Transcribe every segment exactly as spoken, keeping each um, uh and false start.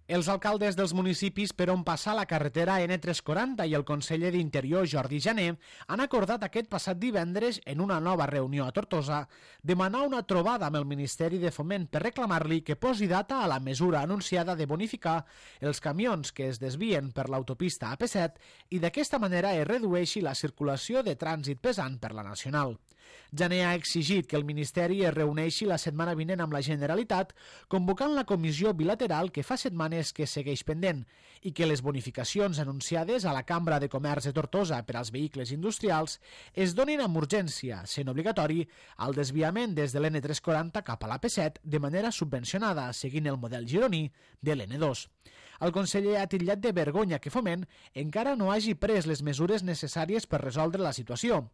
Els alcaldes dels municipis per on passa la carretera ene tres cents quaranta i el conseller d'Interior Jordi Jané han acordat aquest passat divendres en una nova reunió a Tortosa demanar una trobada amb el Ministeri de Foment per reclamar-li que posi data a la mesura anunciada de bonificar els camions que es desvien per l'autopista A P set i d'aquesta manera es redueixi la circulació de trànsit pesant per la nacional. Jané ha exigit que el Ministeri es reuneixi la setmana vinent amb la Generalitat convocant la comissió bilateral que fa setmanes que segueix pendent i que les bonificacions anunciades a la Cambra de Comerç de Tortosa per als vehicles industrials es donin amb urgència, sent obligatori, el desviament des de l'ene tres cents quaranta cap a l'A P set de manera subvencionada, seguint el model gironí de l'ene dos. El conseller ha titllat de vergonya que Foment encara no hagi pres les mesures necessàries per resoldre la situació.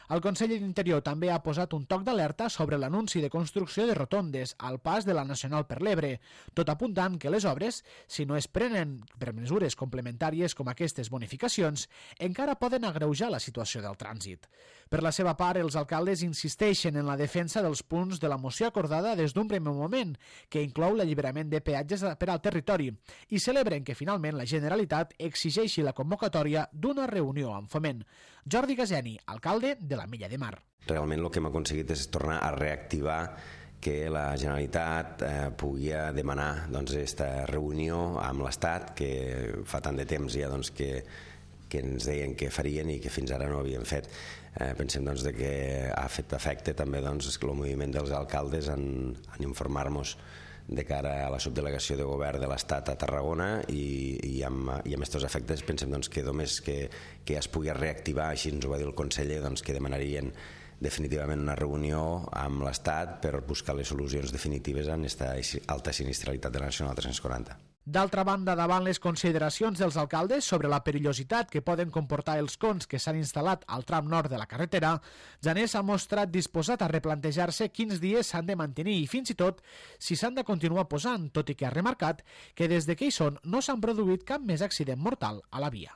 El conseller d'Interior també ha posat un toc d'alerta sobre l'anunci de construcció de rotondes al pas de la Nacional per l'Ebre, tot apuntant que les obres, si no es prenen per mesures complementàries com aquestes bonificacions, encara poden agreujar la situació del trànsit. Per la seva part, els alcaldes insisteixen en la defensa dels punts de la moció acordada des d'un primer moment, que inclou l'alliberament de peatges per al territori, i celebren que finalment la Generalitat exigeixi la convocatòria d'una reunió amb Foment. Jordi Gazeni, alcalde de la Mella de Mar. Realment el que hem aconseguit és tornar a reactivar que la Generalitat eh, pugui demanar doncs, aquesta reunió amb l'Estat, que fa tant de temps ja doncs, que, que ens deien que farien i que fins ara no havien fet. Eh, pensem doncs, de que ha fet efecte també doncs, el moviment dels alcaldes en, en informar-nos de cara a la subdelegació de govern de l'Estat a Tarragona i, i amb, i amb aquests efectes pensem doncs, que només que, que es pugui reactivar, així ens ho va dir el conseller, doncs, que demanarien definitivament una reunió amb l'Estat per buscar les solucions definitives en aquesta alta sinistralitat de la Nacional tres cents quaranta. D'altra banda, davant les consideracions dels alcaldes sobre la perillositat que poden comportar els cons que s'han instal·lat al tram nord de la carretera, Jané s'ha mostrat disposat a replantejar-se quins dies s'han de mantenir i fins i tot si s'han de continuar posant, tot i que ha remarcat que des de que hi són no s'han produït cap més accident mortal a la via.